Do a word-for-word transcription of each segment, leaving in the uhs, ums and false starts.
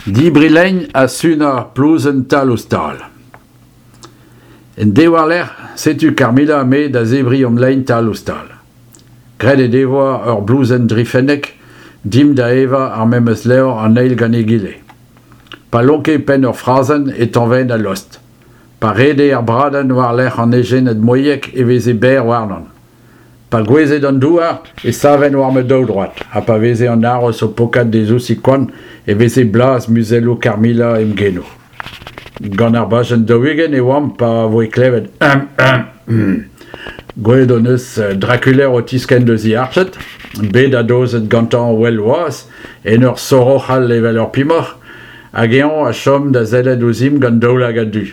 Debriñ lein ha sunañ plouzenn tal-ouzh-tal. En deiz war-lerc'h, setu Carmilla ha me da zebriñ hom lein tal-ouzh-tal. Graet he devoa ur blouzenn drifennek, dimp da evañ ar memes levr an eil gant egile. Pa lonke penn ur frazenn e tañvaen al lost. Pa rede ar bradenn war-lerc'h an ejened mouilhek e veze berr warnon. Pa gouezhe d'an douar e saven war ma daoudroad ha pa veze an haroz o pokat d'e zousig koant e veze blaz muzelloù Carmilla em genoù. Gant ar bajenn daou-ugent e oamp pa voe klevet hum hum hum. Gwelet hon eus Draculer o tiskenn deus e arched, bet adozet gantañ well-wazh en ur soroc'hal evel ur pemoc'h, hag eñ a chom da sellet ouzhimp gant daoulagad du.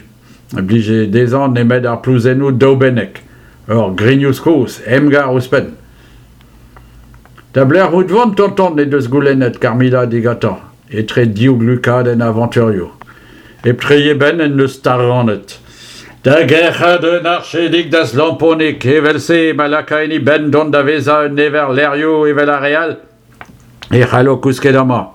Ne blije dezhañ nemet ar plouzennoù daoubennek. Ur grignouz kozh, emgar ouzhpenn. Da belec'h out 'vont, tonton, he deus goulennet Carmilla digantañ, etre div glukadenn avanturioù. Hep treiñ e benn en deus taranet. Da gerc'hat un archedig d'az lamponig, evel-se ma laka en e benn dont da vezañ un ever levrioù evel ar re all. E c'hallo kousket amañ.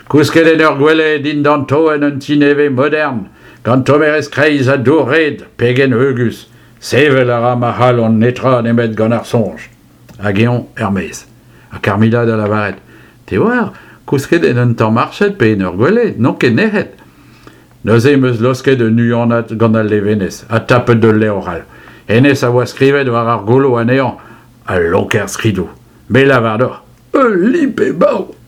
Kousket en ur gwele dindan toenn un ti nevez modern, gant tommerezh kreiz ha dour-red, pegen heugus. Sevel a ra ma c'halon netra nemet gant ar soñj. Hag eñ er-maez. Ha Carmilla da lavaret, Te oar, kousket en un tamm arched pe en ur gwele, n'on ket nec'het. Neuze em eus laosket un huanad gant al levenez ha tapet ul levr all. Hennezh a oa skrivet war ar golo anezhañ, al lonker skridoù. Me lavar deoc'h, ul lip-e-bav !